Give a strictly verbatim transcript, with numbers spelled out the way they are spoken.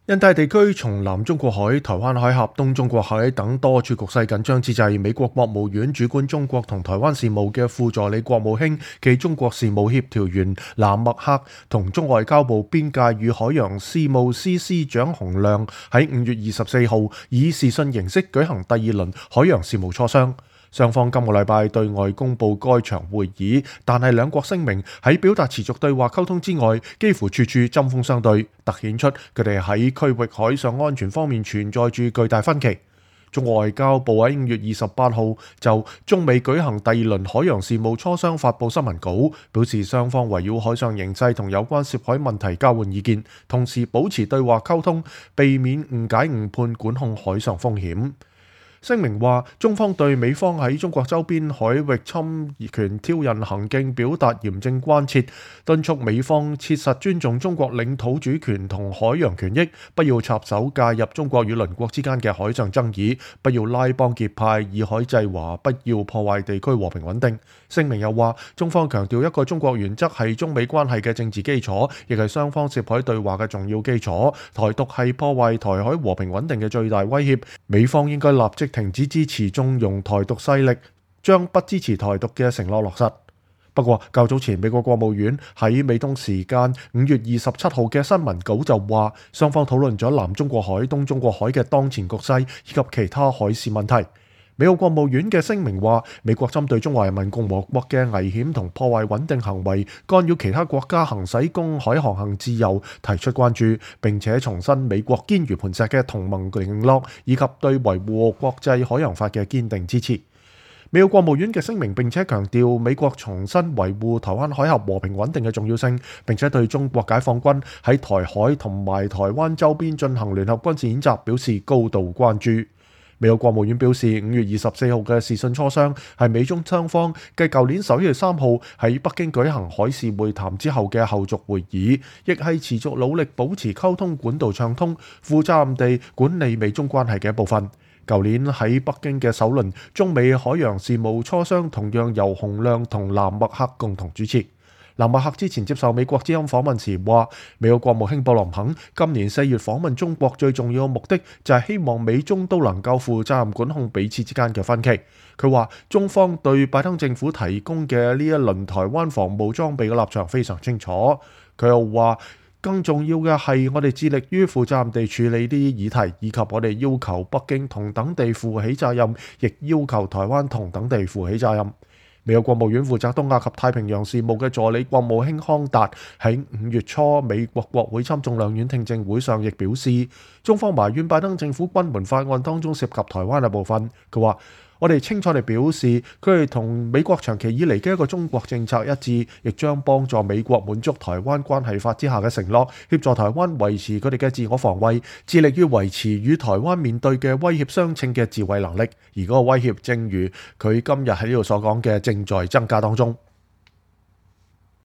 印太地區從南中國海、台灣海峽、東中國海等多處局勢緊張之際，美國國務院主管中國同台灣事務嘅副助理國務卿暨中國事務協調員藍默克同中外交部邊界與海洋事務司司長洪亮喺五月二十四號以視訊形式舉行第二輪海洋事務磋商。雙方今個禮拜對外公佈該場會議，但係兩國聲明喺表達持續對話溝通之外，幾乎處處針鋒相對，突顯出佢哋喺區域海上安全方面存在住巨大分歧。中國外交部喺五月二十八號就中美舉行第二輪海洋事務磋商發布新聞稿，表示雙方圍繞海上形勢同有關涉海問題交換意見，同時保持對話溝通，避免誤解誤判，管控海上風險。聲明話，中方對美方喺中國周邊海域侵權挑釁行徑表達嚴正關切，敦促美方切實尊重中國領土主權同海洋權益，不要插手介入中國與鄰國之間嘅海上爭議，不要拉幫結派，以海制華，不要破壞地區和平穩定。聲明又話，中方強調一個中國原則係中美關係嘅政治基礎，亦係雙方涉海對話嘅重要基礎。台獨係破壞台海和平穩定嘅最大威脅，美方應該立即停止支持縱容台獨勢力，將不支持台獨嘅承諾落實。不過較早前美國國務院喺美東時間五月二十七號嘅新聞稿就話，雙方討論咗南中國海、東中國海嘅當前局勢以及其他海事問題。美國國務院嘅聲明話，美國針對中華人民共和國嘅危險同破壞穩定行為，干擾其他國家行使公海航行自由，提出關注，並且重申美國堅如磐石嘅同盟承諾，以及對維護國際海洋法嘅堅定支持。美國國務院嘅聲明並且強調，美國重申維護台灣海峽和平穩定嘅重要性，並且對中國解放軍喺台海同埋台灣周邊進行聯合軍事演習表示高度關注。美國國務院表示，五月二十四號嘅視訊磋商係美中雙方繼舊年十一月三號喺北京舉行海事會談之後嘅後續會議，亦係持續努力保持溝通管道暢通、負責任地管理美中關係嘅一部分。舊年喺北京嘅首輪中美海洋事務磋商同樣由洪亮同藍默克共同主持。藍默克之前接受美國之音訪問時話，美國國務卿布林肯今年四月訪問中國最重要嘅目的就係希望美中都能夠負責任管控彼此之間嘅分歧。佢話中方對拜登政府提供嘅呢一輪台灣防務裝備嘅立場非常清楚。佢又話，更重要嘅係我哋致力於負責任地處理呢啲議題，以及我哋要求北京同等地負起責任，亦要求台灣同等地負起責任。美國國務院負責東亞及太平洋事務嘅助理國務卿康達喺五月初美國國會參眾兩院聽證會上亦表示，中方埋怨拜登政府軍門法案當中涉及台灣嘅部分。佢話，我哋清楚地表示，佢哋同美國長期以嚟嘅一個中國政策一致，亦將幫助美國滿足台灣關係法之下嘅承諾，協助台灣維持佢哋嘅自我防衛，致力於維持與台灣面對嘅威脅相稱嘅自衛能力。而嗰個威脅，正如佢今日喺呢度所講嘅，正在增加當中。